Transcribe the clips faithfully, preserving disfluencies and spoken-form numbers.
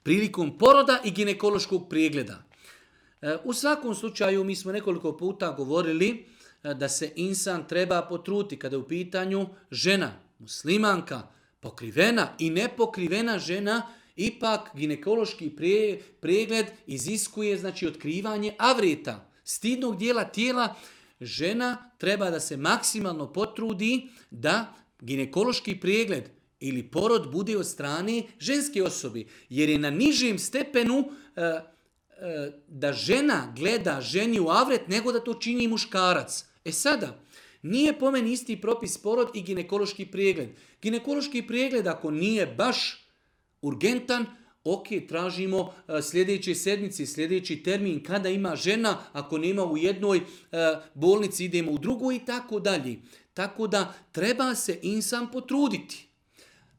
prilikom poroda i ginekološkog pregleda. U svakom slučaju mi smo nekoliko puta govorili da se insan treba potruditi kada je u pitanju žena, muslimanka, pokrivena i nepokrivena žena, ipak ginekološki pre, pregled iziskuje znači otkrivanje avreta, stidnog dijela tijela. Žena treba da se maksimalno potrudi da ginekološki pregled ili porod bude od strane ženske osobe, jer je na nižem stepenu e, e, da žena gleda ženi u avret nego da to čini muškarac. E sada, nije po meni isti propis porod i ginekološki pregled. Ginekološki pregled ako nije baš urgentan, ok, tražimo sljedeće sedmice, sljedeći termin kada ima žena, ako nema u jednoj bolnici idemo u drugoj i tako dalje. Tako da treba se insan potruditi.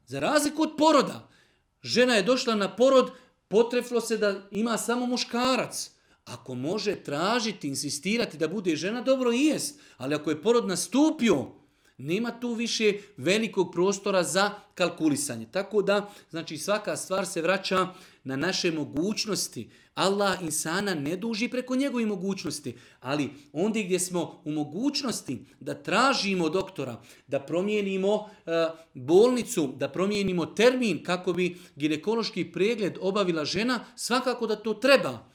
Za razliku od poroda, žena je došla na porod, potrefilo se da ima samo muškarac. Ako može tražiti, insistirati da bude žena, dobro i jest. Ali ako je porod nastupio, nema tu više velikog prostora za kalkulisanje. Tako da, znači svaka stvar se vraća na naše mogućnosti. Allah insana ne duži preko njegovih mogućnosti. Ali ondje gdje smo u mogućnosti da tražimo doktora, da promijenimo uh, bolnicu, da promijenimo termin kako bi ginekološki pregled obavila žena, svakako da to treba.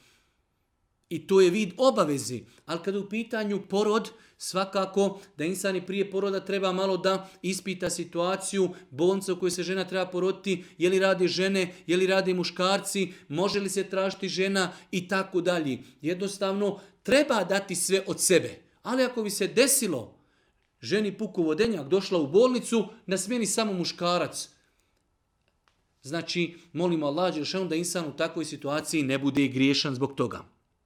I to je vid obavezi. Ali kada je u pitanju porod, svakako da insani prije poroda treba malo da ispita situaciju bolnice u kojoj se žena treba poroditi, je li rade žene, je li rade muškarci, može li se tražiti žena i tako dalje. Jednostavno treba dati sve od sebe. Ali ako bi se desilo ženi puku vodenjak došla u bolnicu, na smjeni samo muškarac. Znači, molimo Allah dželešanu da insan u takvoj situaciji ne bude griješan zbog toga.